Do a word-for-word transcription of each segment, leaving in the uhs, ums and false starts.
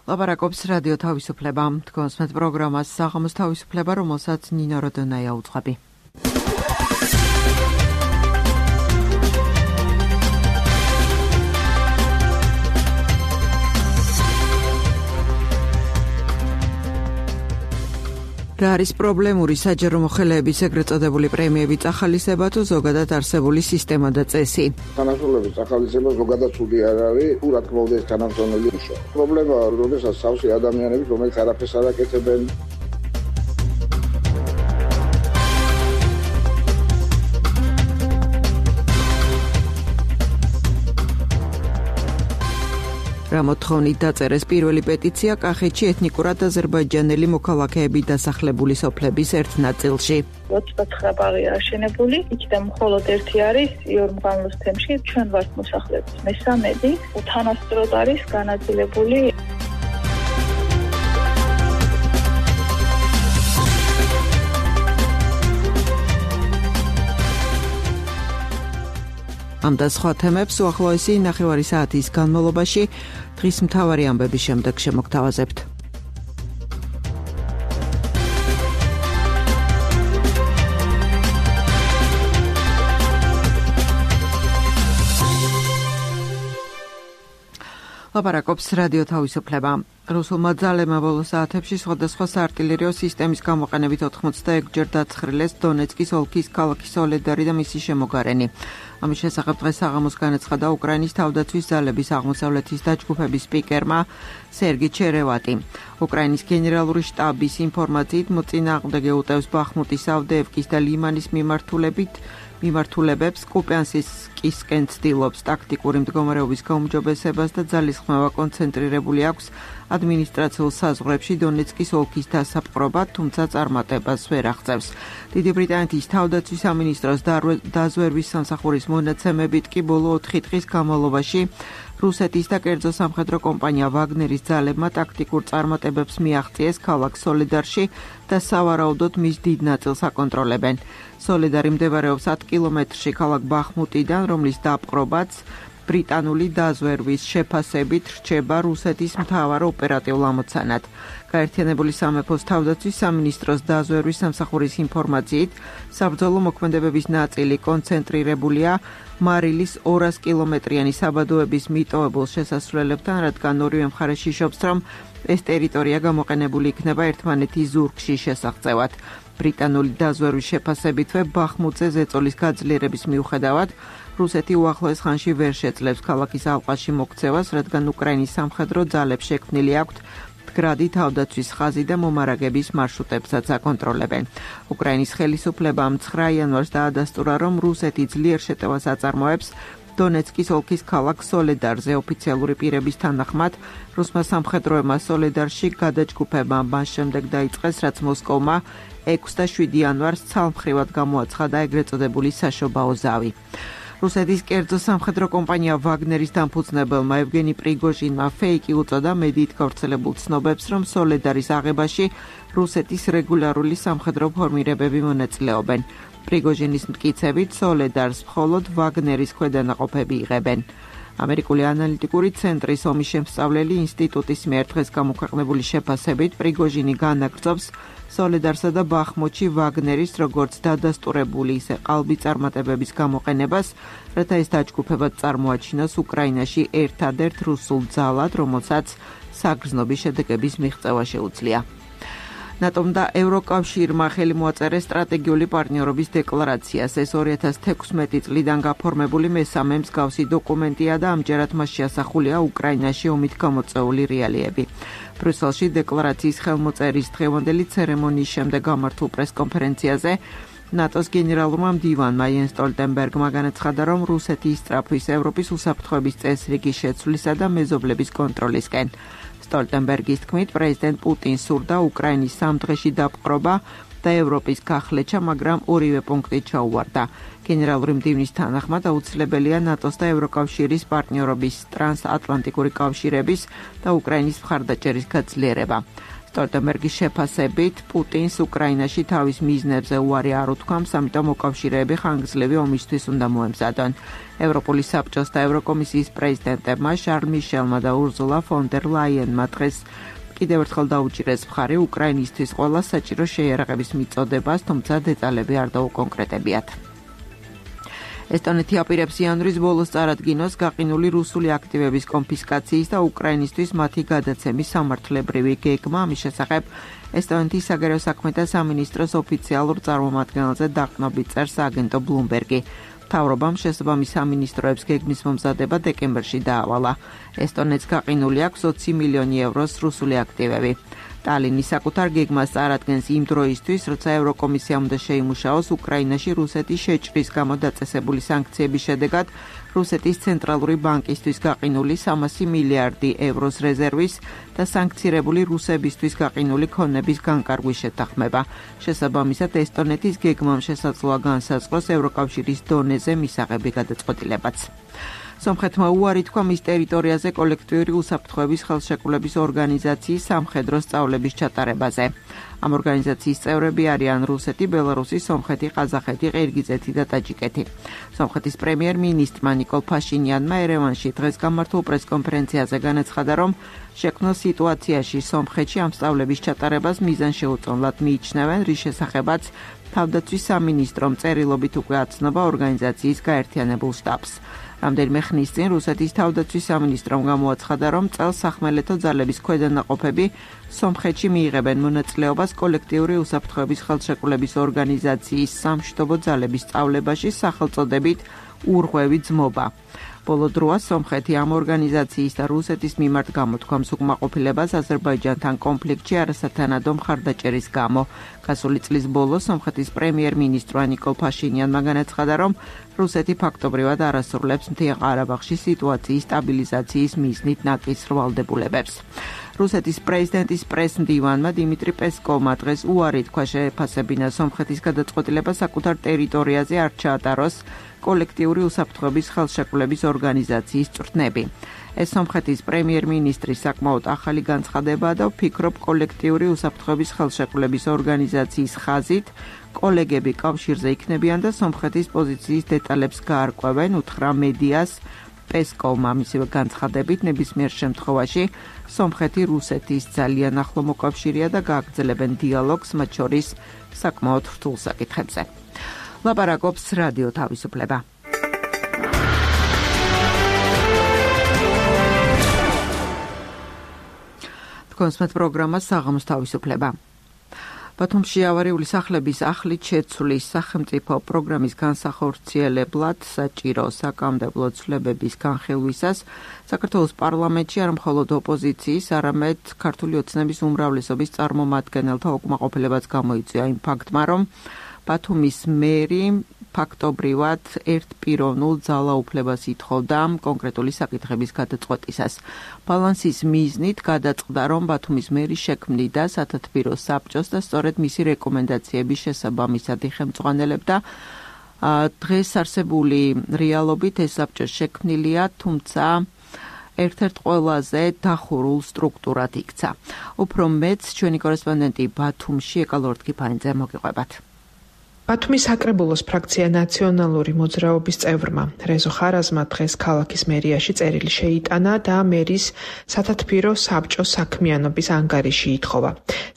ლაპარაკობს რადიო თავისუფლება. თქვენს მეტ პროგრამას საღამოს თავისუფლება, რომელსაც ნინო როდონაია უძღვები. რა არის პრობლემური საჯარო მოხელეების ეგრეთ წოდებული პრემიების ახალისება თუ ზოგადად არსებული სისტემა და წესი? თანამშრომლების ახალისება ზოგადად ცუდი არ არის, თუ რა თქმა უნდა ეს თანამშრომელი უშო. პრობლემა როდესაც სავსე ადამიანები, რომელიც არაფერს არ აკეთებენ. რა მოთხოვნით დაწერეს პირველი პეტიცია კახეთში ეთნიკურად აზერბაიჯანელი მოქალაქეები დასახლებული სოფლების ერთ ნაწილში. ოცდათხრა ბაღი აშენებული, იქიდან მხოლოდ ერთი არის იორმღანლოს თემში, ჩვენ ვართ მოსახლეობის მესამედი, უთანასწოროდ არის განაწილებული. ამ და სხვა თემებს უახლოესი ნახევარი საათის განმავლობაში დღის მთავარი ამბების შემდეგ შემოგთავაზებთ. ლაპარაკობს რადიო თავისუფლება. რუსულმა ძალებმა ბოლო საათებში სხვადასხვა საარტილერიო სისტემის გამოყენებით ოთხმოცდაექვსჯერ დაცხრილეს დონეცკის ოლქის ქალაქი სოლედარი და მისი შემოგარენი. ამის შესახებ დღეს საღამოს განაცხადა უკრაინის თავდაცვის ძალების აღმოსავლეთის დაჯგუფების სპიკერმა სერგი ჩერევატი. უკრაინის გენერალური შტაბის ინფორმაციით მოწინააღმდეგე უტევს ბახმუტის, ავდეევკის და ლიმანის მიმართულებით მიმართულებებს, კუპიანსკისკენ ცდილობს ტაქტიკური მდგომარეობის გაუმჯობესებას და ძალისხმევა კონცენტრირებული აქვს ადმინისტრაციულ საზღვრებში დონეცკის ოლქის დასაპყრობად, თუმცა წარმატებას ვერ აღწევს. დიდი ბრიტანეთის თავდაცვის სამინისტროს დაზვერვის სამსახურის მონაცემებით კი ბოლო ოთხი დღის განმავლობაში რუსეთის და კერძო სამხედრო კომპანია ვაგნერის ძალებმა ტაქტიკურ წარმატებებს მიაღწიეს ქალაქ სოლედარში და სავარაუდოდ მის დიდ ნაწილს აკონტროლებენ. სოლედარი მდებარეობს ათ კილომეტრში ქალაქ ბახმუტიდან, რომლის დაპყრობაც ბრიტანული დაზვერვის შეფასებით რჩება რუსეთის მთავარ ოპერატიულ ამოცანად. გაერთიანებული სამეფოს თავდაცვის სამინისტროს დაზვერვის სამსახურის ინფორმაციით, საბრძოლო მოქმედებების ნაწილი კონცენტრირებულია მარილის ორას კილომეტრიანი საბადოების მიტოვებულ შესასვლელებთან, რადგან ორივე მხარე შიშობს, რომ ეს ტერიტორია გამოყენებული იქნება ერთმანეთის ზურგში შესაღწევად. ბრიტანული დაზვერვის შეფასებითვე ბახმუტზე ზეწოლის გაძლიერების მიუხედავად რუსეთი უახლოეს ხანში ვერ შეძლებს ქალაქის ალყაში მოქცევას, რადგან უკრაინის სამხედრო ძალებს შექმნილი აქვთ მდგრადი თავდაცვის ხაზი და მომარაგების მარშრუტებსაც აკონტროლებენ. უკრაინის ხელისუფლებამ ცხრა იანვარს დაადასტურა, რომ რუსეთი ძლიერ შეტევას აწარმოებს დონეცკის ოლქის ქალაქ სოლედარზე. ოფიციალური პირების თანახმად, რუსმა სამხედროებმა სოლედარში გადაჯგუფება მას შემდეგ დაიწყეს, რაც მოსკოვმა ექვსი და შვიდი იანვარს ცალმხრივად გამოაცხადა ეგრეთ წოდებული საშობაო ზავი. რუსეთის კერძო სამხედრო კომპანია ვაგნერის დამფუძნებელმა ევგენი პრიგოჟინმა ფეიკი უწოდა მედიით გავრცელებულ ცნობებს, რომ სოლედარის აღებაში რუსეთის რეგულარული სამხედრო ფორმირებები მონაწილეობენ. პრიგოჟინის მტკიცებით სოლედარს მხოლოდ ვაგნერის ქვედანაყოფები იღებენ. ამერიკული ანალიტიკური ცენტრის ომის შემსწავლელი ინსტიტუტის მიერ დღეს გამოქვეყნებული შეფასებით პრიგოჟინი განაგრძობს სოლედარსა და ბახმუტში ვაგნერის როგორც დადასტურებული, ისე ყალბი წარმატებების გამოყენებას, რათა ეს დაჯგუფება წარმოაჩინოს უკრაინაში ერთადერთ რუსულ ძალად, რომელსაც საგრძნობი შედეგების მიღწევა შეუძლია. ნატომ და ევროკავშირმა ხელი მოაწერეს სტრატეგიული პარტნიორობის დეკლარაციას. ეს ორი ათას თექვსმეტი წლიდან გაფორმებული მესამე მსგავსი დოკუმენტია და ამჯერად მას შეასახულია უკრაინაში ომით გამოწვეული რეალიები. ბრიუსელში დეკლარაციის ხელმოწერის დღევანდელი ცერემონიის შემდეგ გამართულ პრესკონფერენციაზე ნატოს გენერალურმა მდივანმა იენს სტოლტენბერგმა განაცხადა, რომ რუსეთი ისწრაფვის ევროპის უსაფრთხოების წესრიგის შეცვლისა და მეზობლების კონტროლისკენ. სტოლტენბერგის თქმით, პრეზიდენტ პუტინს სურდა უკრაინის სამ დღეში დაპყრობა და ევროპის გახლეჩა, მაგრამ ორივე პუნქტი ჩაუვარდა. გენერალური მდივნის თანახმად აუცილებელია ნატოს და ევროკავშირის პარტნიორობის, ტრანსატლანტიკური კავშირების და უკრაინის მხარდაჭერის გაძლიერება. სტოლტენბერგის შეფასებით პუტინს უკრაინაში თავის მიზნებზე უარი არ უთქვამს, ამიტომ მოკავშირეები ხანგრძლივი ომისთვის უნდა მოემზადონ. ევროპული საბჭოს და ევროკომისიის პრეზიდენტებმა შარლ მიშელმა და ურზულა ფონ დერ ლაიენმა დღეს კიდევ ერთხელ დაუჭირეს მხარი უკრაინისთვის ყველა საჭირო შეიარაღების მიწოდებას, თუმცა დეტალები არ დაუკონკრეტებიათ. ესტონეთი აპირებს იანვრის ბოლოს წარადგინოს გაყინული რუსული აქტივების კონფისკაციის და უკრაინისთვის მათი გადაცემის სამართლებრივი გეგმა. ამის შესახებ ესტონეთის საგარეო საქმეთა სამინისტროს ოფიციალურ წარმომადგენელზე დაყრდნობით წერს აგენტო ბლუმბერგი. მთავრობამ შესაბამის სამინისტროებს გეგმის მომზადება დეკემბერში დაავალა. ესტონეთს გაყინული აქვს ოცი მილიონი ევროს რუსული აქტივები. ტალინი საკუთარ გეგმას წარადგენს იმ დროისთვის, როცა ევროკომისიამ უნდა შეიმუშაოს უკრაინაში რუსეთის შეჭრის გამო დაწესებული სანქციების შედეგად რუსეთის ცენტრალური ბანკისთვის გაყინული სამასი მილიარდი ევროს რეზერვის და სანქცირებული რუსებისთვის გაყინული ქონების განკარგვის შეთანხმება. შესაბამისად, ესტონეთის გეგმამ შესაძლოა განსაზღვროს ევროკავშირის დონეზე მისაღები გადაწყვეტილებაც. სომხეთმა უარი თქვა მის ტერიტორიაზე კოლექტიური უსაფრთხოების ხელშეკრულების ორგანიზაციის სამხედრო სწავლების ჩატარებაზე. ამ ორგანიზაციის წევრები არიან რუსეთი, ბელარუსი, სომხეთი, ყაზახეთი, ყირგიზეთი და ტაჯიკეთი. სომხეთის პრემიერ-მინისტრმა ნიკოლ ფაშინიანმა ერევანში დღეს გამართულ პრესკონფერენციაზე განაცხადა, რომ შექმნილ სიტუაციაში სომხეთში ამ სწავლების ჩატარებას მიზანშეუწონლად მიიჩნევენ, რის შესახებაც თავდაცვის სამინისტრომ წერილობით უკვე აცნობა ორგანიზაციის გაერთიანებულ შტაბს. რამდენიმე ხნის წინ რუსეთის თავდაცვის სამინისტრომ გამოაცხადა, რომ წელს სახმელეთო ძალების ქვედანაყოფები სომხეთში მიიღებენ მონაწილეობას კოლექტიური უსაფრთხოების ხელშეკრულების ორგანიზაციის სამშვიდობო ძალების სწავლებაში სახელწოდებით ურღვევი ძმობა. ბოლო დროა სომხეთი ამ ორგანიზაციის და რუსეთის მიმართ გამოთქვამს უკმაყოფილებას აზერბაიჯანთან კონფლიქტში არასათანადო მხარდაჭერის გამო. გასული წლის ბოლოს სომხეთის პრემიერ-მინისტრმა ნიკოლ ფაშინიანმა განაცხადა, რომ რუსეთი ფაქტობრივად არასრულებს მთიან ყარაბაღში სიტუაციის სტაბილიზაციის მიზნით ნაკისრ ვალდებულებებს. რუსეთის პრეზიდენტის პრეს-მდივანმა დიმიტრი პესკოვმა დღეს უარი თქვა შეეფასებინა სომხეთის გადაწყვეტილება საკუთარ ტერიტორიაზე არ ჩაატაროს კოლექტიური უსაფრთხოების ხელშეკრულების ორგანიზაციის წვრთნები. ეს სომხეთის პრემიერ-მინისტრის საკმაოდ ახალი განცხადებაა და ვფიქრობ კოლექტიური უსაფრთხოების ხელშეკრულების ორგანიზაციის ხაზით კოლეგები კავშირზე იქნებიან და სომხეთის პოზიციის დეტალებს გაარკვევენ, უთხრა მედიას პესკოვმა. მისივე განცხადებით ნებისმიერ შემთხვევაში სომხეთი რუსეთის ძალიან ახლო მოკავშირეა და გააგრძელებენ დიალოგს მათ შორის საკმაოდ რთულ საკითხებზე. ლაპარაკობს რადიო თავისუფლება. თქვენსმეთ პროგრამა საღამოს თავისუფლება. ბათუმში ავარიული სახლების ახლით შეცვლის სახელმწიფო პროგრამის განსახორციელებლად საჭირო საკანონმდებლო ცვლილებების განხილვისას საქართველოს პარლამენტში არ მხოლოდ ოპოზიციის, არამედ ქართული ოცნების უმრავლესობის წარმომადგენელთა უკმაყოფილებაც გამოიწვია იმ ფაქტმა, რომ ბათუმის მერი ფაქტობრივად ერთპიროვნულ ძალაუფლებას ითხოვდა კონკრეტული საკითხების გადაწყვეტისას. ბალანსის მიზნით გადაწყდა, რომ ბათუმის მერი შექმნიდა სათათბირო საბჭოს და სწორედ მისი რეკომენდაციების შესაბამისად იხელმძღვანელებდა. დღეს არსებული რეალობით ეს საბჭო შექმნილია, თუმცა ერთ-ერთ ყველაზე დახურულ სტრუქტურად იქცა. უფრო მეც ჩვენი კორესპონდენტი ბათუმში ეკალორდ კიფანიძე მოგიყვებათ. ბათუმის საკრებულოს ფრაქცია ნაციონალური მოძრაობის წევრმა რეზო ხარაზმა დღეს ქალაქის მერიაში წერილი შეიტანა და მერის სათათბირო საბჭოს საქმიანობის ანგარიში ითხოვა.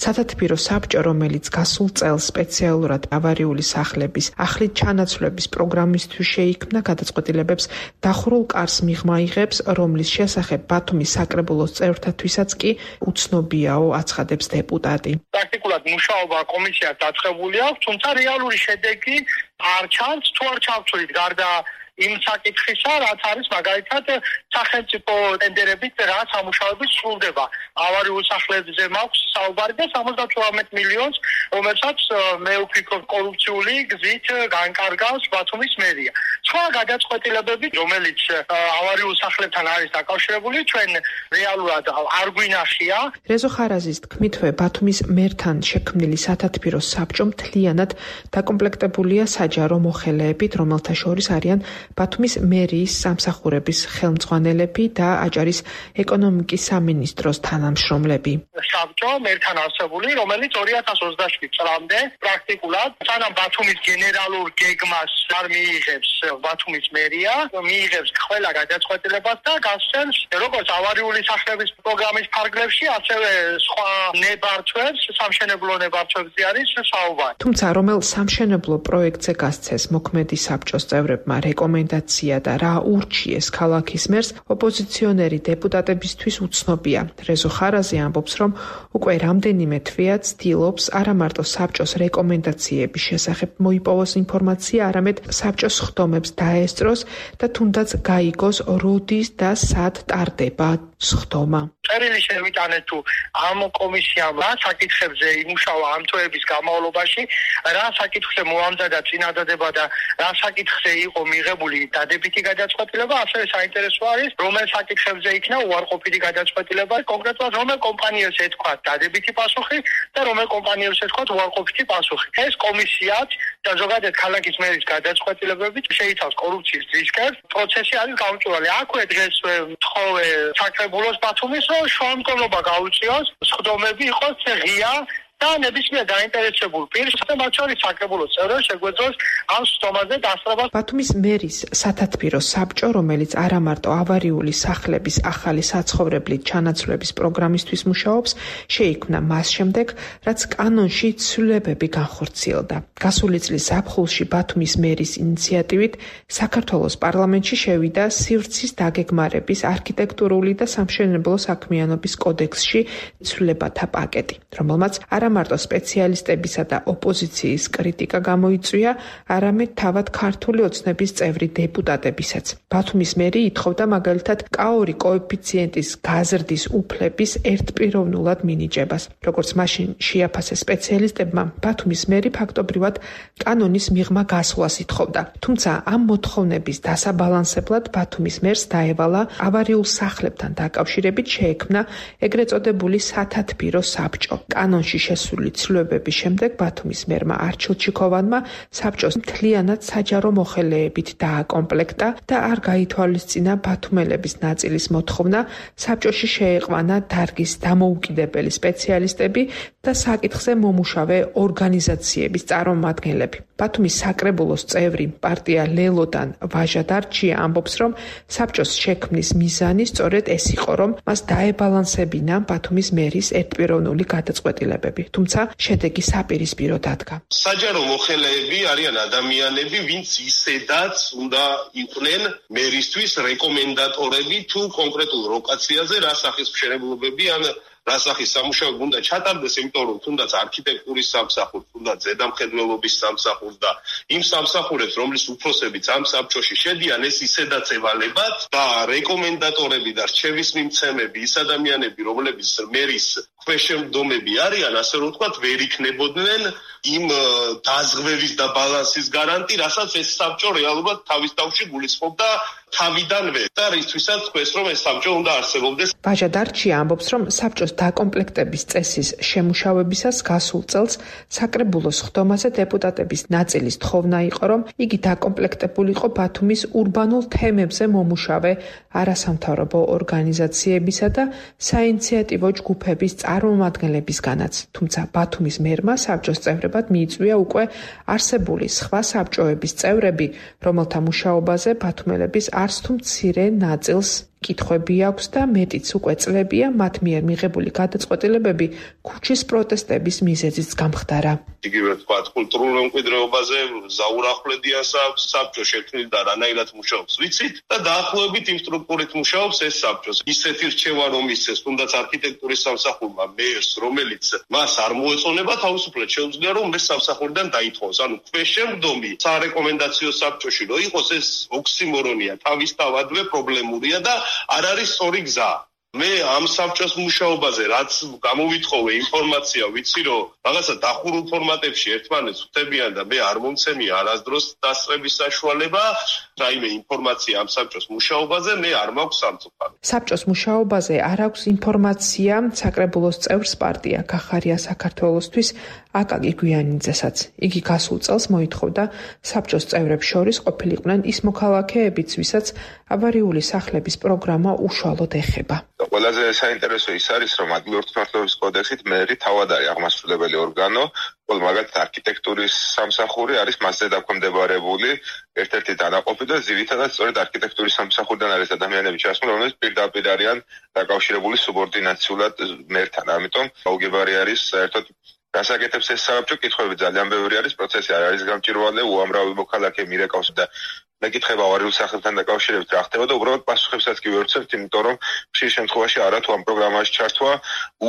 სათათბირო საბჭო, რომელიც გასულ წელს სპეციალურად ავარიული სახლების ახლით ჩანაცვლების პროგრამისთვის შეიქმნა, გადაწყვეტილებებს დახურულ კარს მიღმა იღებს, რომლის შესახებ ბათუმის საკრებულოს წევრთათვისაც კი უცნობიაო, აცხადებს დეპუტატი. პრაქტიკულად მუშაობა კომისიას დაწყებული აქვს, თუმცა რეალური შედეგი არ ჩანს, თუ არ ჩავთვლით გარდა იმ საკითხისა, რაც არის მაგალითად სახელმწიფო ტენდერებით რა სამუშაოები სრულდება. ავარიულ სახლებზე მაქვს საუბარი და სამოცდათვრამეტ მილიონს, რომელსაც მე ვფიქრობ კორუფციული გზით განკარგავს ბათუმის მერია. სხვა გადაწყვეტილებები, რომელიც ავარიულ სახლებთან არის დაკავშირებული, ჩვენ რეალურად არ გვინახია. რეზო ხარაზის თქმითვე, ბათუმის მერთან შექმნილი სათათბირო საბჭო მთლიანად დაკომპლექტებულია საჯარო მოხელეებით, რომელთა შორის არიან ბათუმის მერიის სამსახურების ხელმძღვანელები და აჭარის ეკონომიკის სამინისტროს თანამშრომლები. საბჭო მერთან არსებული, რომელიც ორი ათას ოცდაშვიდ წლამდე პრაქტიკულად სანამ ბათუმის გენერალურ გეგმას არ მიიღებს ბათუმის მერია, მიიღებს ყველა გადაწყვეტილებას და გასცემს როგორც ავარიული სახლების პროგრამის ფარგლებში, ასევე სხვა ნებართვებს, სამშენებლო ნებართვებზე არის საუბარი. თუმცა რომელ სამშენებლო პროექტზე გასცეს მოქმედი საბჭოს წევრებმა რეკომენდაცია და რა ურჩიეს ქალაქის მერს, ოპოზიციონერი დეპუტატებისთვის უცნობია. რეზო ხარაზი ამბობს, რომ უკვე რამდენიმე თვეა ცდილობს არა მარტო საბჭოს რეკომენდაციების შესახებ მოიპოვოს ინფორმაცია, არამედ საბჭოს ხდომებს დაესწროს და თუნდაც გაიგოს როდის და სად ტარდება სხდომა. წერილი შევიტანეთ თუ ამ კომისიამ რა საკითხებზე იმუშავა ამ თვეების განმავლობაში, რა საკითხზე მოამზადა წინადადება და რა საკითხზე იყო მიღებული დადებითი გადაწყვეტილება, ასევე საინტერესო არის, რომელ საკითხებზე იქნა უარყოფითი გადაწყვეტილება, კონკრეტულად რომელ კომპანიებს ეთქვა დადებითი პასუხი და რომელ კომპანიებს ეთქვა უარყოფითი პასუხი. ეს კომისიაც და ზოგადად ქალაქის მერის გადაწყვეტილებებით შეიცავს კორუფციის რისკებს. პროცესი არის გამჭვირვალე. აქვე დღეს ვთხოვე საკრებულოს ბათუმის, რომ შუამდგომლობა გაუწიოს, სხდომები იყოს ღია და ნებისმიერ დაინტერესებულ პირს და მათ შორის საკრებულოს წევრებს შეგვეძლოს ამ სხდომაზე დასწრებას. ბათუმის მერის სათათბირო საბჭო, რომელიც არა მარტო ავარიული სახლების ახალი საცხოვრებლით ჩანაცვლების პროგრამისთვის მუშაობს, შეიქმნა მას შემდეგ, რაც კანონში ცვლილებები განხორციელდა. გასული წლის ზაფხულში ბათუმის მერის ინიციატივით საქართველოს პარლამენტში შევიდა სივრცის დაგეგმარების არქიტექტურული და სამშენებლო საქმიანობის კოდექსში ცვლილებათა პაკეტი, რომელმაც არა მარტო სპეციალისტებისა და ოპოზიციის კრიტიკა გამოიწვია, არამედ თავად ქართული ოცნების წევრი დეპუტატებისაც. ბათუმის მერი ითხოვდა მაგალითად კაორი კოეფიციენტის გაზრდის უფლების ერთპიროვნულად მინიჭებას. როგორც მაშინ შეაფასეს სპეციალისტებმა, ბათუმის მერი ფაქტობრივად კანონის მიღმა გასვლას ითხოვდა. თუმცა ამ მოთხოვნების დასაბალანსებლად ბათუმის მერს დაევალა ავარიულ სახლებთან დაკავშირებით შეექმნა ეგრეთ წოდებული სათათბირო საბჭო. კანონში შესული ცვლილებების შემდეგ ბათუმის მერმა არჩილ ჩიქოვანმა საბჭოს მთლიანად საჯარო მოხელეებით დააკომპლექტა და არ გაითვალისწინა ბათუმელების ნაწილის მოთხოვნა საბჭოში შეეყვანა დარგის დამოუკიდებელი სპეციალისტები და საკითხზე მომუშავე ორგანიზაციების წარმომადგენლები. ბათუმის საკრებულოს წევრი პარტია ლელოდან ვაჟა დარჩია ამბობს, რომ საბჭოს შექმნის მიზანი სწორედ ეს იყო, რომ მას დაებალანსებინა ბათუმის მერის ერთპიროვნული გადაწყვეტილებები. თუმცა შედეგი საპირისპირო დადგა. საჯარო მოხელეები არიან ადამიანები, ვინც ისედაც უნდა იყვნენ მერისთვის რეკომენდატორები თუ კონკრეტულ ლოკაციაზე რა სახის მშენებლობები ან რა სახის სამუშაოები უნდა ჩატარდეს, იმიტომ რომ თუნდაც არქიტექტურის სამსახურს, თუნდაც ზედამხედველობის სამსახურს და იმ სამსახურებს, რომლის უფროსებიც ამ საბჭოში შედიან, ეს ისედაც ევალებათ და რეკომენდატორები და რჩევის მიმცემები, ის ადამიანები, რომლებიც მერის ქვეშემდომები არიან, ასე რომ ვთქვათ, ვერ იქნებოდნენ იმ დაზღვევის და ბალანსის გარანტი, რასაც ეს საბჭო რეალურად თავის თავში გულისხმობდა თავიდანვე და რისთვისაც თქვეს, რომ ეს საბჭო უნდა არსებობდეს. ვაჟა დარჩია ამბობს, რომ საბჭოს დაკომპლექტების წესის შემუშავებისას გასულ წელს საკრებულოს ხდომაზე დეპუტატების ნაწილის თხოვნა იყო, რომ იგი დაკომპლექტებულიყო ბათუმის ურბანულ თემებზე მომუშავე არასამთავრობო ორგანიზაციებისა და საინიციატივო ჯგუფების წარმომადგენლებისგანაც. თუმცა ბათუმის მერმა საბჭოს წევრებად მიიწვია უკვე არსებული სხვა საბჭოების წევრები, რომელთა მუშაობაზე ბათუმელების არც თუ მცირე ნაწილს კითხვები აქვს და მეტიც უკვე წლებია მათ მიერ მიღებული გადაწყვეტილებები ქუჩის პროტესტების მიზეზიც გამხდარა. იგივე ვთქვათ, კულტურულ მემკვიდრეობაზე ზაურახლედიან საბჭო შექმნილ და რანაირად მუშაობს ვიცით და დაახლოებით იმ სტრუქტურით მუშაობს ეს საბჭო. ისეთი რჩევა რომ ისეს, თუნდაც არქიტექტურის სამსახურმა მერს, რომელიც მას არ მოეწონება, თავისუფლად შეუძლია რომ მერს სამსახურიდან დაითხოვოს. ანუ ქვეშემდომი სარეკომენდაციო საბჭოში რო იყოს, ეს ოქსიმორონია, თავისთავადვე პრობლემურია და არ არის სწორი გზა. მე ამ საბჭოს მუშაობაზე რაც გამოვითხოვე ინფორმაცია, ვიცი რომ რაღაცა დახურულ ფორმატებში ერთმანეთს ხვდებიან და მე არ მომცემია არასდროს დასწრების საშუალება, რაიმე ინფორმაცია ამ საბჭოს მუშაობაზე მე არ მაქვს სამწუხაროდ. საბჭოს მუშაობაზე არ აქვს ინფორმაცია საკრებულოს წევრს პარტია გახარია საქართველოსთვის აკაკი გვიანიძესაც. იგი გასულ წელს მოითხოვდა საბჭოს წევრებს შორის ყოფილიყვნენ ის მოქალაქეებიც, ვისაც ავარიული სახლების პროგრამა უშუალოდ ეხება. ყველაზე საინტერესო ის არის, რომ ადგილობრივი მართლობის კოდექსით მერი თავად არის აღმასრულებელი ორგანო, ხოლო მაგალითად არქიტექტურის სამსახური არის მასზე დაქვემდებარებული ერთ-ერთი დანაყოფი და ძირითადად სწორედ არქიტექტურის სამსახურიდან არის ადამიანები ჩასმული, რომლებიც პირდაპირ არიან დაკავშირებული სუბორდინაციულად მერთან. ამიტომ აუგებარი არის საერთოდ გასაკეთებს ეს საბჭო, კითხვები ძალიან ბევრი არის, პროცესი არ არის გამჭირვალე, უამრავი მოქალაქე მირეკავს და მეკითხება ავარიულ სახლებთან დაკავშირებით რა ხდება და უბრალოდ პასუხებსაც კი ვერცევთ, იმიტომ რომ ხშირ შემთხვევაში არა თუ ამ პროგრამაში ჩართვა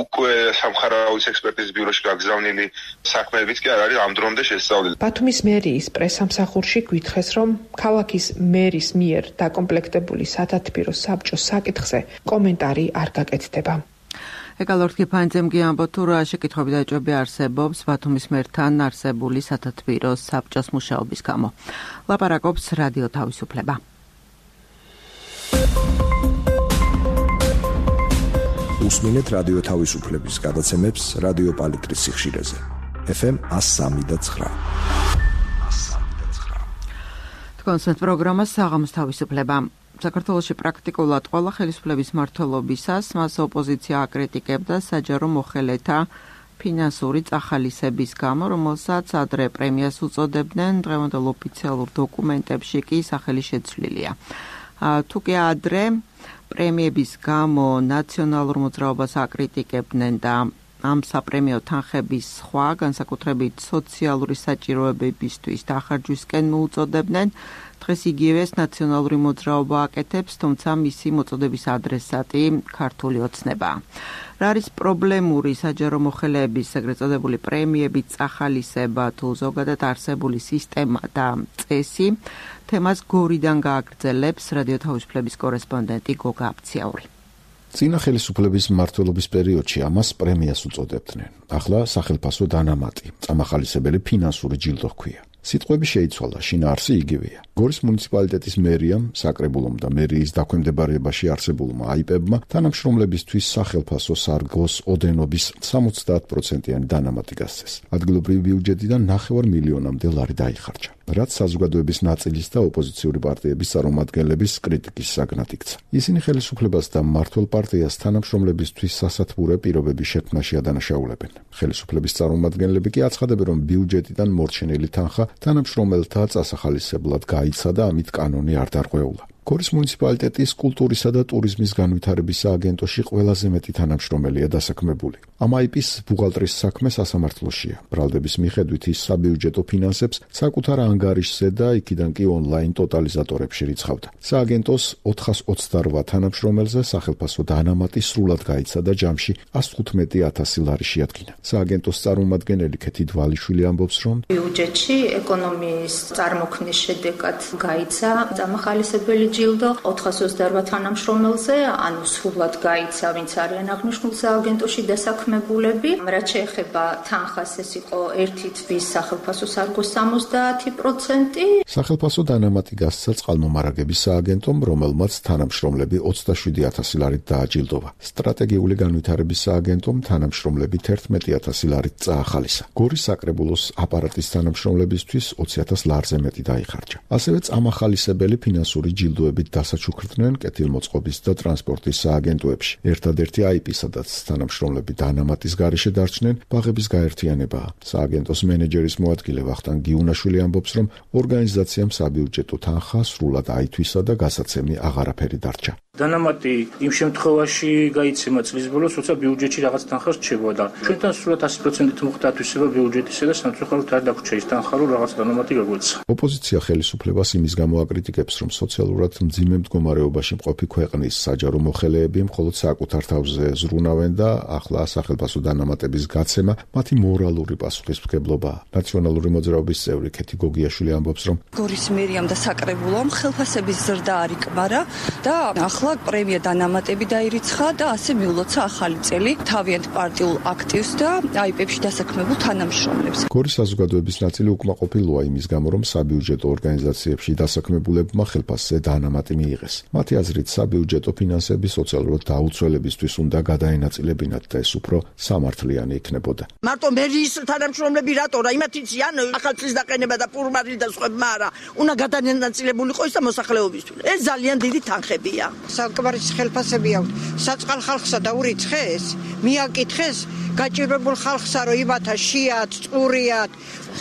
უკვე სამხარაუის ექსპერტიზის ბიუროში გაგზავნილი საქმეებიც კი არ არის ამ დრომდე შესწავლილი. ბათუმის მერიის პრესამსახურში გვითხრეს, რომ ქალაქის მერის მიერ დაკომპლექტებული სათათბირო საბჭოს საკითხზე კომენტარი არ გაკეთდება. ეკალორდ გიფანძემ გიამბო თუ რა შეკითხვები და ეჭვები არსებობს ბათუმის მერთან არსებული სათათბირო საბჭოს მუშაობის გამო. ლაპარაკობს რადიო თავისუფლება. უსმინეთ რადიო თავისუფლების გადაცემებს რადიო პალიტრის სიხშირეზე. ეფ ემ one oh three point nine. თქვენს პროგრამას საღამოს თავისუფლება. საქართველოში პრაქტიკულად ყველა ხელისუფლების მმართველობისას მას ოპოზიცია აკრიტიკებდა საჯარო მოხელეთა ფინანსური წახალისების გამო, რომელსაც ადრე პრემიას უწოდებდნენ, დღევანდელ ოფიციალურ დოკუმენტებში კი სახელი შეცვლილია. თუ კი ადრე პრემიების გამო ნაციონალურ მოძრაობას აკრიტიკებდნენ და ამ საპრემიო თანხების სხვა, განსაკუთრებით სოციალური საჭიროებებისთვის დახარჯვისკენ მოუწოდებდნენ, დღეს იგივეს ნაციონალური მოძრაობა აკეთებს, თუმცა მისი მოწოდების ადრესატი ქართული ოცნებაა. რა არის პრობლემური საჯარო მოხელეების ეგრეთ წოდებული პრემიები, წახალისება თუ ზოგადად არსებული სისტემა და წესი, თემას გორიდან გააგრძელებს რადიო თავისუფლების კორესპონდენტი გოგა აფციაური. წინა ხელისუფლების მმართველობის პერიოდში ამას პრემიას უწოდებდნენ. ახლა სახელმწიფო დანამატი, წამახალისებელი ფინანსური ჯილდო ჰქვია. სიტყვები შეიცვალა, შინაარსი იგივეა. გორის მუნიციპალიტეტის მერიამ, საკრებულომ და მერიის დაქვემდებარებაში არსებულმა აიპებმა თანამშრომლებისთვის სახელმწიფო სარგოს ოდენობის სამოცდაათ პროცენტიანი დანამატი გასცეს. ადგილობრივი ბიუჯეტიდან ნახევარ მილიონამდე ლარი დაიხარჯა, რაც საზოგადოების ნაწილის და ოპოზიციური პარტიების წარმომადგენლების კრიტიკის საგნად იქცა. ისინი ხელისუფლებას და მმართველ პარტიას თანამშრომლებისთვის სასათბურე პირობების შექმნაში ადანაშაულებენ. ხელისუფლების წარმომადგენლები კი აცხადებენ, რომ ბიუჯეტიდან მორჩენილი თანხა თანამშრომელთა წასახალისებლად გაიცა და ამით კანონი არ დარღვეულა. გორის მუნიციპალიტეტის კულტურისა და ტურიზმის განვითარების სააგენტოში ყველაზე მეტი თანამშრომელია დასაქმებული. ამ აიპის ბუღალტრის საქმე სასამართლოშია. ბრალდების მიხედვით ის საბიუჯეტო ფინანსებს საკუთარ ანგარიშზე და იქიდან კი ონლაინ ტოტალიზატორებში რიცხავდა. სააგენტოს ოთხას ოცდარვა თანამშრომელზე სახელმწიფო დანამატი სრულად გაიცა და ჯამში ას თხუთმეტი ათასი ლარი შეადგინა. სააგენტოს წარმომადგენელი ქეთი დვალიშვილი ამბობს, რომ ბიუჯეტში ეკონომიის წარმოქმნის შედეგად გაიცა წამახალისებელი ჯილდო ოთხას ოცდარვა თანამშრომელზე, ანუ სრულად გაიცა, ვინც არიან აღნიშნულ სააგენტოში დასაქმებულები. რაც შეეხება თანხას, ეს იყო ერთი თვის სახელმწიფო სარგოს სამოცდაათი პროცენტი. სახელმწიფო დანამატი გასცა წყალმომარაგების სააგენტომ, რომელმაც თანამშრომლები ოცდაშვიდი ათასი ლარით დააჯილდოვა. სტრატეგიული განვითარების სააგენტომ თანამშრომლებით ერთმეტი ათასი ლარით წაახალისა. გორის საკრებულოს აპარატის თანამშრომლებისთვის ოცი ათას ლარზე მეტი დაიხარჯა. ასევე წამახალისებელი ფინანსური ჯილდო დასაჩუქრდნენ კეთილმოწყობის და ტრანსპორტის სააგენტოებში. ერთადერთი აიპი, სადაც თანამშრომლები დანამატის გარეშე დარჩნენ, ბაღების გაერთიანებაა. სააგენტოს მენეჯერის მოადგილე ვახტანგ გიუნაშვილი ამბობს, რომ ორგანიზაციამ საბიუჯეტო თანხა სრულად აითვისა და გასაცემი აღარაფერი დარჩა. დანამატი იმ შემთხვევაში გაიცემა წლის ბოლოს, როცა ბიუჯეტში რაღაც თანხა რჩებოდა. ჩვენთან სრულად ასი პროცენტით მოხდა ათვისება ბიუჯეტისა და სამწუხაროდ არ დაგვრჩა ის თანხა, რომ რაღაც დანამატი გაგვეცა. ოპოზიცია ხელისუფლებას იმის გამო აკრიტიკებს, რომ სოციალურად მძიმე მდგომარეობაში მყოფი ქვეყნის საჯარო მოხელეები მხოლოდ საკუთარ თავზე ზრუნავენ და ახლა სახელმწიფო დანამატების გაცემა მათი მორალური პასუხისმგებლობაა. ნაციონალური მოძრაობის წევრი ქეთი გოგიაშვილი ამბობს, რომ გორის მერიამ და საკრებულომ ხელფასების ზრდა არ იკმარა და ახლა ახლა პრემია დანამატები დაირიცხა და ასე მიულოცა ახალი წელი თავიანთ პარტიულ აქტივს და აიპებში დასაქმებულ თანამშრომლებს. გორის საზოგადოების ნაწილი უკმაყოფილოა იმის გამო, რომ საბიუჯეტო ორგანიზაციებში დასაქმებულებმა ხელფასზე დანამატი მიიღეს. მათი აზრით, საბიუჯეტო ფინანსები სოციალურად დაუცველებისთვის უნდა გადაენაწილებინათ და ეს უფრო სამართლიანი იქნებოდა. მარტო მერის თანამშრომლები რატო რა იმათ იციან ახალწლის დაყენება და პურმარი და სხვებმა არა უნდა გადაენაწილებულიყო ის და მოსახლეობისთვის. ეს ძალიან დიდი თანხებია. საკმარის ხელფასები აქვს საწყალ ხალხსა და ურიცხეს მიაკითხეს გაჭირებულ ხალხსა რომ იმათა შიათ წყურიათ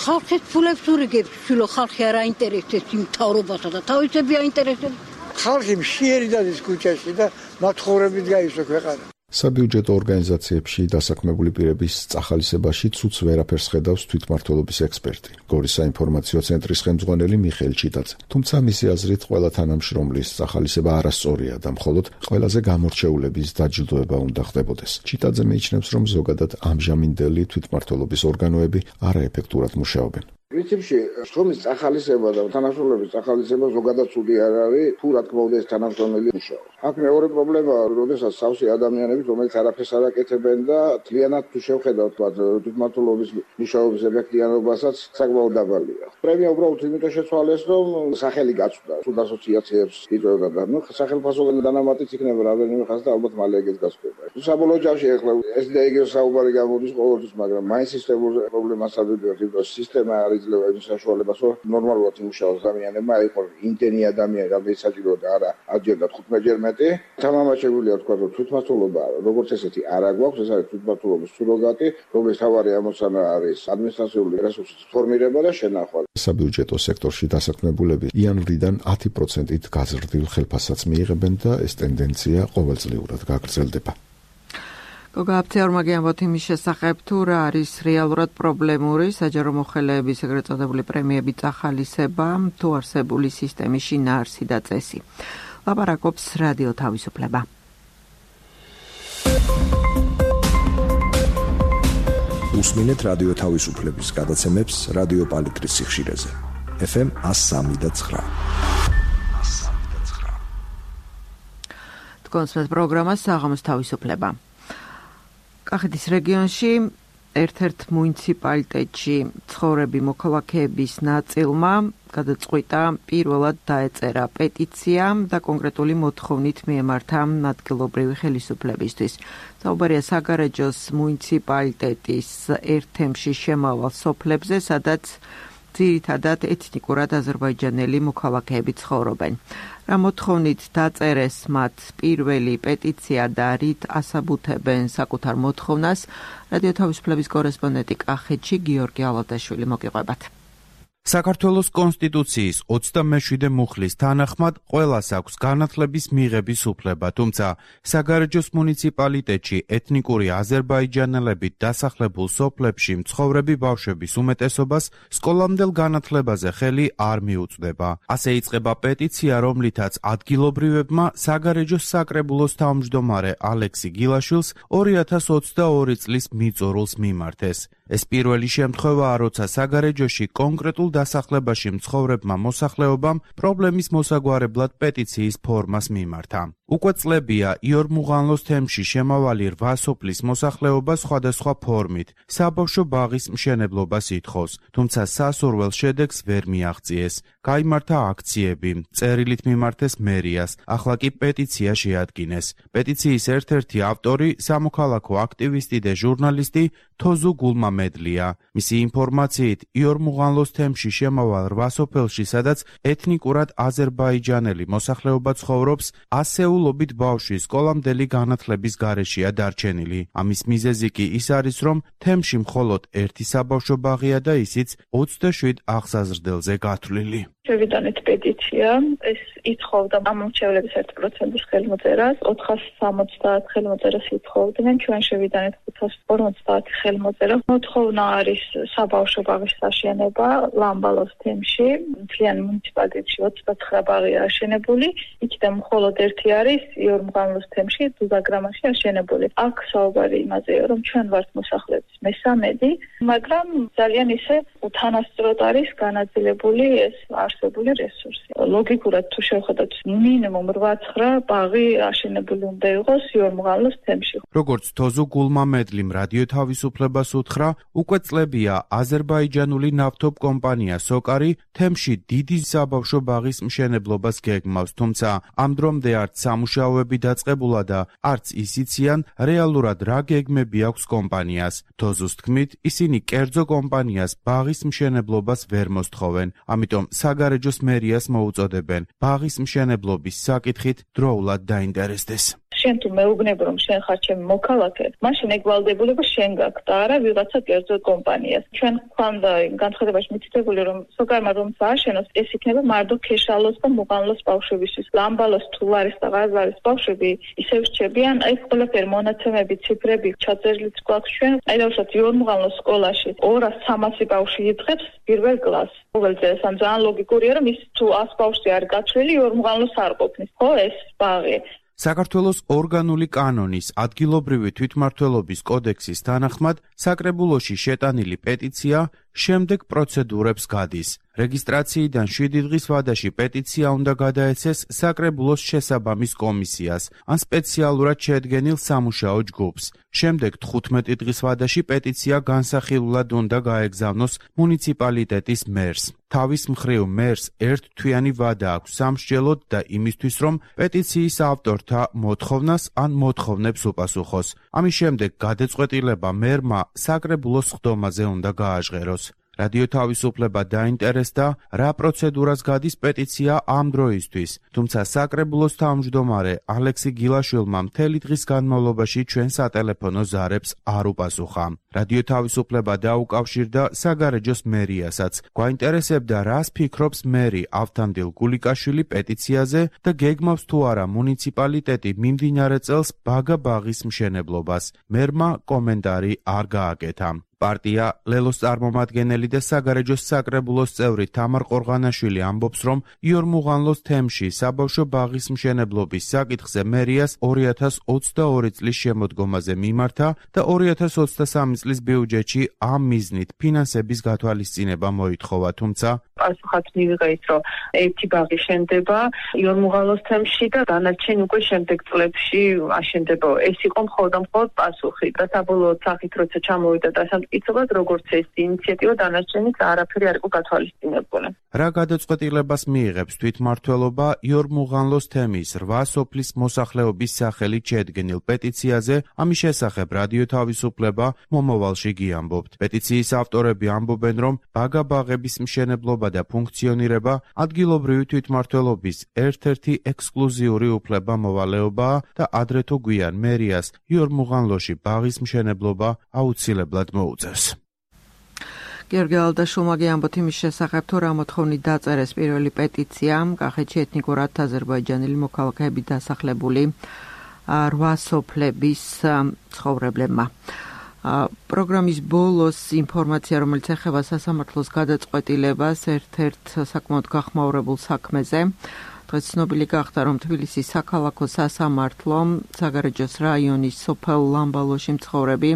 ხალხის ფულებს ურიგებს შილო ხალხი არ აინტერესებს იმ მთავრობასა და თავისები აინტერესებს ხალხი მშიერი დადის ქუჩაში და მათხოვრებით გაისვა ქვეყანა. საბიუჯეტო ორგანიზაციებში დასაქმებული პირების წახალისებაში ცუც ვერაფერს ხედავს თვითმმართველობის ექსპერტი, გორის საინფორმაციო ცენტრის ხელმძღვანელი მიხეილ ჩიტაძე. თუმცა მისი აზრით, ყველა თანამშრომლის წახალისება არასწორია და მხოლოდ ყველაზე გამორჩეულების დაჯილდოება უნდა ხდებოდეს. ჩიტაძე მიიჩნევს, რომ ზოგადად ამჟამინდელი თვითმმართველობის ორგანოები არაეფექტურად მუშაობენ. პრინციპში შრომის წახალისება და თანამშრომლების წახალისება ზოგადად ცუდი არ არის, თუ რა თქმა უნდა ეს თანამშრომელი მუშაობს. აქ მეორე პრობლემაა, როდესაც სავსე ადამიანები, რომელიც არაფერს არ აკეთებენ და მთლიანად თუ შევხედავთ თვითმმართველობის მუშაობის ეფექტიანობასაც საკმაოდ დაბალია. პრემია უბრალოდ იმიტომ შეცვალეს, რომ სახელი გაწვდა, თუ ასოციაციებს იწვევდა და ნუ სახელმწიფო დანამატიც იქნება რამდენიმე ხანს და ალბათ მალე ეგეც გასწრება. საბოლოო ჯამში ახლა ეს და ეგრე საუბარი გამოდის ყოველთვის, მაგრამ მაინც სისტემურ პრობლემას ადვდივართ, იმიტომ სისტემა არის ძლევა იმ საშუალებას, რომ ნორმალურად იმუშაოს ადამიანებმა, აიყო ინტენი ადამიანი, რომელიც საჭიროა არა ათჯერ თხუთმეტჯერ მეტი. თამამაშებულია თქვა, რომ თვითმმართველობა როგორც ესეთი არ აგვაქვს, ეს არის თვითმმართველობის სუროგატი, რომლის თავარი ამოცანა არის ადმინისტრაციული რესურსის ფორმირება და შენახვა. საბიუჯეტო სექტორში დასაქმებულები იანვრიდან ათი პროცენტით გაზრდილ ხელფასსაც მიიღებენ და ეს ტენდენცია ყოველწლიურად გაგრძელდება. გოგა აფთიარმა გიამბოთ იმის შესახებ, თუ რა არის რეალურად პრობლემური საჯარო მოხელეების ეგრეთ წოდებული პრემიები წახალისება, თუ არსებული სისტემის შინაარსი და წესი. ლაპარაკობს რადიო თავისუფლება. უსმინეთ რადიო თავისუფლების გადაცემებს რადიო პალიტრის სიხშირეზე. ეფ ემ one oh three point nine. თქვენს პროგრამას საღამოს თავისუფლება. კახეთის რეგიონში ერთ-ერთ მუნიციპალიტეტში ცხოვრები მოქალაქეების ნაწილმა გადაწყვიტა პირველად დაეწერა პეტიცია და კონკრეტული მოთხოვნით მიემართა ადგილობრივი ხელისუფლებისთვის. საუბარია საგარეჯოს მუნიციპალიტეტის ერთ თემში შემავალ სოფლებზე, სადაც ძირითადად ეთნიკურად აზერბაიჯანელი მოქალაქეები ცხოვრობენ. რა მოთხოვნით დაწერეს მათ პირველი პეტიცია და რით ასაბუთებენ საკუთარ მოთხოვნას, რადიო თავისუფლების კორესპონდენტი კახეთში გიორგი ალადაშვილი მოგიყვებათ. საქართველოს კონსტიტუციის ოცდამეშვიდე მუხლის თანახმად ყველას აქვს განათლების მიღების უფლება, თუმცა საგარეჯოს მუნიციპალიტეტში ეთნიკური აზერბაიჯანელებით დასახლებულ სოფლებში მცხოვრები ბავშვების უმეტესობას სკოლამდელ განათლებაზე ხელი არ მიუწვდება. ასე იწყება პეტიცია, რომლითაც ადგილობრივებმა საგარეჯოს საკრებულოს თავმჯდომარე ალექსი გილაშვილს ორი ათას ოცდაორი წლის მიწურულს მიმართეს. ეს პირველი შემთხვევაა, როცა საგარეჯოში კონკრეტულ დასახლებაში მცხოვრებმა მოსახლეობამ პრობლემის მოსაგვარებლად პეტიციის ფორმას მიმართა. უკვე წლებია იორმუღანლოს თემში შემავალი რვა სოფლის მოსახლეობა სხვადასხვა ფორმით საბავშვო ბაღის მშენებლობას ითხოვს, თუმცა სასურველ შედეგს ვერ მიაღწიეს. გაიმართა აქციები, წერილით მიმართეს მერიას, ახლა კი პეტიცია შეადგინეს. პეტიციის ერთ-ერთი ავტორი სამოქალაქო აქტივისტი და ჟურნალისტი თოზუ გულმამედლია. მისი ინფორმაციით, იორმუღანლოს თემში შემავალ რვა სოფელში, სადაც ეთნიკურად აზერბაიჯანელი მოსახლეობა ცხოვრობს, ასეულობით ბავშვი სკოლამდელი განათლების გარეშეა დარჩენილი. ამის მიზეზი კი ის არის, რომ თემში მხოლოდ ერთი საბავშვო ბაღია და ისიც ოცდაშვიდ აღსაზრდელზე გათვლილი. შევიტანეთ პეტიცია, ეს ითხოვდა ამომრჩევლების ერთ პროცენტის ხელმოწერას, ოთხას სამოცდაათ ხელმოწერას ითხოვდნენ, ჩვენ შევიტანეთ ხუთას ორმოცდაათი ხელმოწერა. მოთხოვნა არის საბავშვო ბაღის აშენება ლამბალოს თემში, მთლიან მუნიციპალიტეტში ოცდაცხრა ბაღია აშენებული, იქიდან მხოლოდ ერთი არის იორმუღანლოს თემში დუდაგრამაში აშენებული. აქ საუბარი იმაზეა, რომ ჩვენ ვართ მოსახლეობის მესამედი, მაგრამ ძალიან ისე უთანასწოროდ არის განაწილებული ეს არსებული რესურსი. ლოგიკურად თუ შევხედოთ, მინიმუმ რვა-ცხრა ბაღი აშენებული უნდა იყოს იორმღალოს თემში. როგორც თოზუ გულმამედლიმ რადიო თავისუფლებას უთხრა, უკვე წლებია აზერბაიჯანული ნავთობ კომპანია სოკარი თემში დიდი საბავშვო ბაღის მშენებლობას გეგმავს, თუმცა ამ დრომდე არც სამუშაოები დაწყებულა და არც ისიციან რეალურად რა გეგმები აქვს კომპანიას. თოზუს თქმით, ისინი კერძო კომპანიას ბაღის მშენებლობას ვერ მოსთხოვენ, ამიტომ საგარეჯოს მერიას მოუწოდებენ ბაღის მშენებლობის საკითხით დროულად დაინტერესდეს. შენ თუ მეუბნები რომ შენ ხარ ჩემი მოქალაქე, მაშინ ეგ ვალდებულება შენ გაქვს და არა ვიღაცა კერძო კომპანიას. ჩვენ გვქონდა განცხადებაში მითითებული რომ სოკარმა რომ სააშენოს, ეს იქნება მარტო ქეშალოს და მუღანლოს ბავშვებისთვის. ლამბალოს თუ ლარის და ღაზარის ბავშვები ისევ რჩებიან, ეს ყველაფერი მონაცემები, ციფრები ჩაწერილიც გვაქვს ჩვენ. აი დავუშვათ იორმუღანლოს სკოლაში ორას სამასი ბავშვი იწყებს პირველ კლასს. მოგეძლეს ამ ძალიან ლოგიკურია რომ ის თუ ას ბავშვი არ გათვლილი იორმუღანლოს არ ყოფნის. ხო ეს ბაღი საქართველოს ორგანული კანონის ადგილობრივი თვითმმართველობის კოდექსის თანახმად საკრებულოში შეტანილი პეტიცია შემდეგ პროცედურებს გადის. რეგისტრაციიდან შვიდი დღის ვადაში პეტიცია უნდა გადაეცეს საკრებულოს შესაბამის კომისიას ან სპეციალურად შედგენილ სამუშაო ჯგუფს. შემდეგ თხუთმეტი დღის ვადაში პეტიცია განსახილულად უნდა გაეგზავნოს მუნიციპალიტეტის მერს. თავის მხრივ მერს ერთთვიანი ვადა აქვს სამსჯელოდ და იმისთვის, რომ პეტიციის ავტორთა მოთხოვნას ან მოთხოვნებს უპასუხოს. ამის შემდეგ გადაწყვეტილება მერმა საკრებულოს სხდომაზე უნდა გააჟღეროს. რადიო თავისუფლება დაინტერესდა, რა პროცედურას გადის პეტიცია ამ დროისთვის, თუმცა საკრებულოს თავმჯდომარე ალექსი გილაშვილმა მთელი დღის განმავლობაში ჩვენ სატელეფონო ზარებს არ უპასუხა. რადიო თავისუფლება დაუკავშირდა საგარეჯოს მერიასაც. გვაინტერესებდა, რას ფიქრობს მერი ავთანდილ გულიკაშვილი პეტიციაზე და გეგმავს თუ არა მუნიციპალიტეტი მიმდინარე წელს ბაგა ბაღის მშენებლობას. მერმა კომენტარი არ გააკეთა. პარტია ლელოს წარმომადგენელი და საგარეჯოს საკრებულოს წევრი თამარ ყორღანაშვილი ამბობს, რომ იორმუღანლოს თემში საბავშვო ბაღის მშენებლობის საკითხზე მერიას ორი ათას ოცდაორი წლის შემოდგომაზე მიმართა და ორი ათას ოცდასამი წლის ბიუჯეტში ამ მიზნით ფინანსების გათვალისწინება მოითხოვა, თუმცა პასუხად მივიღეთ, რომ ერთი ბაღი შენდება იორმუღანლოს თემში და დანარჩენი უკვე შემდეგ წლებში აშენდება. ეს იყო მხოლოდ მხოლოდ პასუხი და საბოლოო სახით როცა ჩამოვიდა და იცოდეთ როგორც ეს ინიციატივა დანარჩენიც არაფერი არ იყო გათვალისწინებული. რა გადაწყვეტილებას მიიღებს თვითმმართველობა იორმუღანლოს თემის რვა სოფლის მოსახლეობის სახელით შედგენილ პეტიციაზე, ამის შესახებ რადიო თავისუფლება მომავალში გიამბობთ. პეტიციის ავტორები ამბობენ, რომ ბაგა ბაღების მშენებლობა და ფუნქციონირება ადგილობრივი თვითმმართველობის ერთ-ერთი ექსკლუზიური უფლება-მოვალეობაა და ადრე თუ გვიან მერიას იორმუღანლოში ბაღის მშენებლობა აუცილებლად მოუწევს. გიორგი ალდაშულმა გიამბოთ იმის შესახებ, თუ რა მოთხოვნით დაწერეს პირველი პეტიცია კახეთში ეთნიკურად აზერბაიჯანელი მოქალაქეები დასახლებული რვა სოფლების ცხოვრებლებმა. პროგრამის ბოლოს ინფორმაცია, რომელიც ეხება სასამართლოს გადაწყვეტილებას ერთ-ერთ საკმაოდ გახმაურებულ საქმეზე. დღეს ცნობილი გახდა, რომ თბილისის საქალაქო სასამართლო საგარეჯოს რაიონის სოფელ ლამბალოში მცხოვრები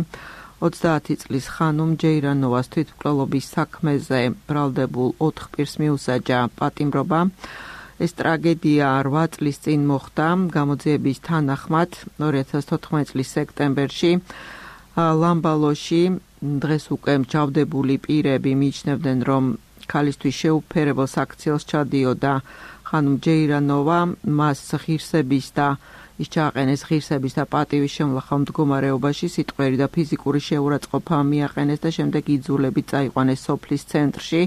ოცდაათი წლის ხანუმ ჯეირანოვას თვითმკვლელობის საქმეზე ბრალდებულ ოთხ პირს მიუსაჯა პატიმრობა. ეს ტრაგედია რვა წლის წინ მოხდა გამოძიების თანახმად ორი ათას თოთხმეტი წლის სექტემბერში ლამბალოში. დღეს უკვე მჯავდებული პირები მიიჩნევდნენ, რომ ქალისთვის შეუფერებელ საქციელს ჩადიოდა ხანუმ ჯეირანოვა, მას ღირსების და ის ჩააყენეს ღირსების და პატივის შემლახავ მდგომარეობაში, სიტყვიერი და ფიზიკური შეურაცხყოფა მიაყენეს და შემდეგ იძულებით წაიყვანეს სოფლის ცენტრში,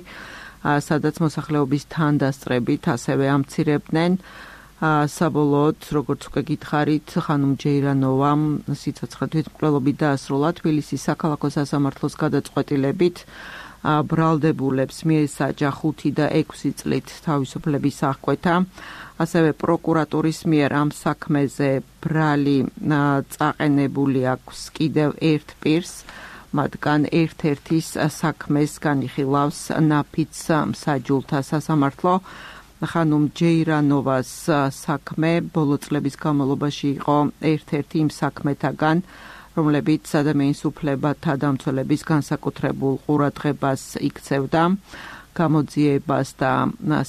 სადაც მოსახლეობის თანდასწრებით ასევე ამცირებდნენ. საბოლოოდ, როგორც უკვე გითხარით, ხანუმ ჯეირანოვამ სიცოცხლე თვითმკვლელობით დაასრულა. თბილისის საქალაქო სასამართლოს გადაწყვეტილებით ბრალდებულებს მიესაჯა ხუთი და ექვსი წლით თავისუფლების აღკვეთა. ასევე პროკურატურის მიერ ამ საქმეზე ბრალი წაყენებული აქვს კიდევ ერთ პირს, მათგან ერთ-ერთის საქმეს განიხილავს ნაფიც მსაჯულთა სასამართლო. ხანუმ ჯეირანოვას საქმე ბოლო წლების განმავლობაში იყო ერთ-ერთი იმ საქმეთაგან, რომლებიც ადამიანის უფლებათა დამცველების განსაკუთრებულ ყურადღებას იქცევდა. გამოძიებას და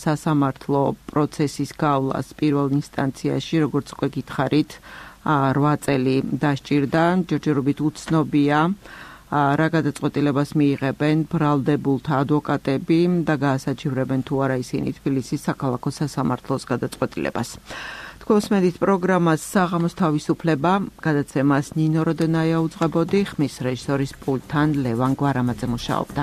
სასამართლო პროცესის გავლას პირველ ინსტანციაში, როგორც უკვე გითხარით, რვა წელი დასჭირდა, ჯერჯერობით უცნობია რა გადაწყვეტილებას მიიღებენ ბრალდებულთა ადვოკატები და გაასაჩივრებენ თუ არა ისინი თბილისის საქალაქო სასამართლოს გადაწყვეტილებას. თქვენს მედით პროგრამას საღამოს თავისუფლება, გადაცემას ნინო როდენაია უძღვებოდი, ხმის რეჟისორის პულტთან ლევან გვარამაძე მუშაობდა.